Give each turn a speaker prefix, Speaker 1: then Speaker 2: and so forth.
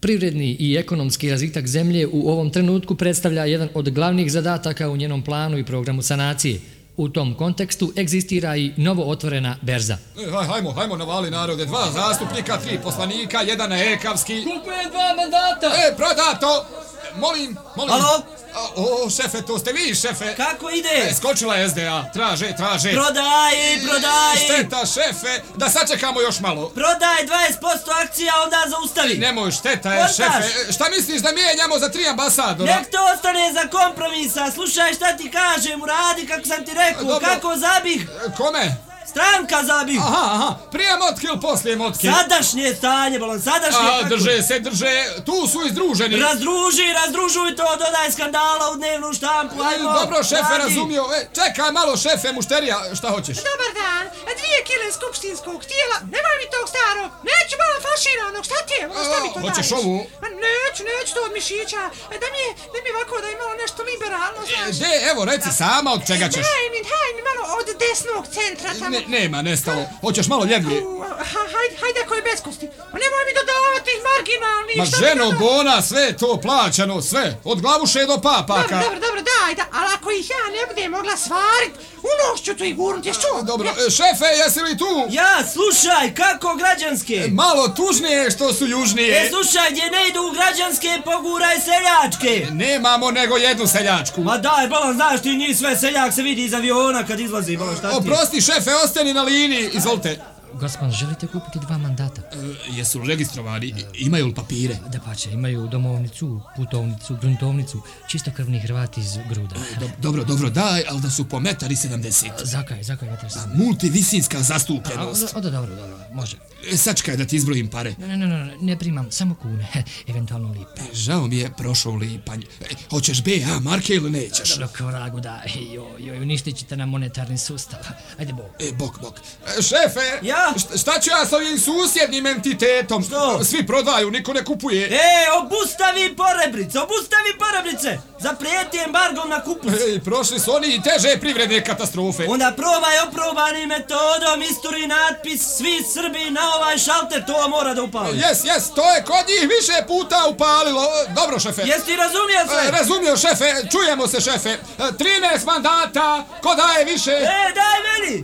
Speaker 1: Privredni i ekonomski razvitak zemlje u ovom trenutku predstavlja jedan od glavnih zadataka u njenom planu i programu sanacije. U tom kontekstu egzistira i novo otvorena berza.
Speaker 2: Hajmo navali narode, 2 zastupnika, 3 poslanika, 1 ekavski.
Speaker 1: Kupujem 2 mandata!
Speaker 2: Prodato! Molim.
Speaker 3: Alo?
Speaker 2: O, šefe, to ste vi, šefe.
Speaker 3: Kako ide?
Speaker 2: Skočila je SDA, traže.
Speaker 3: Prodaj!
Speaker 2: Šteta, šefe, da sačekamo još malo.
Speaker 3: Prodaj 20% akcija, onda zaustavi.
Speaker 2: Nemoj, šteta je, šefe. Šta misliš da mijenjamo za 3 ambasadora?
Speaker 3: Nek to ostane za kompromisa, slušaj šta ti kažem, uradi kako sam ti rekao.
Speaker 2: Dobro.
Speaker 3: Kako zabih?
Speaker 2: Kome?
Speaker 3: Stranka zabih.
Speaker 2: Aha, prije motke ili poslije motke?
Speaker 3: Sadašnje stanje, bolon, sadašnje.
Speaker 2: Drže, tu su izdruženi.
Speaker 3: Razdružuj to, dodaj skandala u dnevnu štampu, ajmo.
Speaker 2: Dobro, šefe,
Speaker 3: radi.
Speaker 2: razumio. Čekaj malo, šefe, mušterija, šta hoćeš?
Speaker 4: Dobar dan, 2 kile skupštinskog tijela, nemoj mi tog starog, neću malo faširanog, šta ti je, šta mi to daješ?
Speaker 2: Hoćeš ovu?
Speaker 4: Neću to od mišića, da mi ovako da je malo nešto liberalno, znaš.
Speaker 2: Evo, reci sama od čega ćeš.
Speaker 4: Daj mi malo od desnog centra tamo.
Speaker 2: Nema, nestalo. Hoćeš malo ljevlje?
Speaker 4: Hajde koji bez kosti. Nemoj mi dodavati tih marginalnih.
Speaker 2: Ma ženo Bona, sve to plaćano, sve. Od glavuše do papaka.
Speaker 4: Dobro, daj, ali ako ih ja ne budem mogla svarit, unošću tu i gurnut, ješ čuo?
Speaker 2: Dobro, šefe, jesi li tu?
Speaker 3: Ja, slušaj, kako građanske?
Speaker 2: Malo tužnije što su južnije.
Speaker 3: Slušaj, gdje ne idu građanske, poguraj seljačke.
Speaker 2: Nemamo nego jednu seljačku.
Speaker 3: Ma daj, bolon, znaš ti njih sve, seljak se vidi iz aviona kad izlazi, bolon, šta ti?
Speaker 2: Oprosti, šefe, ostani na liniji, izvolite.
Speaker 1: Gospod, želite kupiti 2 mandata?
Speaker 2: Jesu registrovani? Imaju li papire?
Speaker 1: Da pače, imaju domovnicu, putovnicu, gruntovnicu, čistokrvni Hrvati iz Gruda.
Speaker 2: Dobro, daj, ali da su po 1,70 m.
Speaker 1: Zakaj, metar sam.
Speaker 2: Multivisinska zastupljenost.
Speaker 1: Dobro, može.
Speaker 2: Sačekaj da ti izbrojim pare.
Speaker 1: Ne primam, samo kune, eventualno lipe.
Speaker 2: Žao mi je prošao lipanj. Hoćeš BH marke ili nećeš?
Speaker 1: Dobro, kao ragu da, uništit ćete nam monetarni sustav. Ajde, bok.
Speaker 2: Bok. Šefe!
Speaker 3: Ja?
Speaker 2: Šta ću ja s ovim susjednim entitetom?
Speaker 3: Što?
Speaker 2: Svi prodaju, niko ne kupuje.
Speaker 3: Obustavi porebrice! Zaprijeti embargom na kupus.
Speaker 2: Prošli su oni i teže privredne katastrofe.
Speaker 3: Onda probaj oprobanim metodom, isturi natpis, svi Srbi na ovaj šalter, to mora da upali.
Speaker 2: Jes, to je kod njih više puta upalilo. Dobro, šefe.
Speaker 3: Jesi ti razumio sve?
Speaker 2: Razumio, šefe, čujemo se, šefe. 13 mandata, ko daje više?
Speaker 3: Daj meni!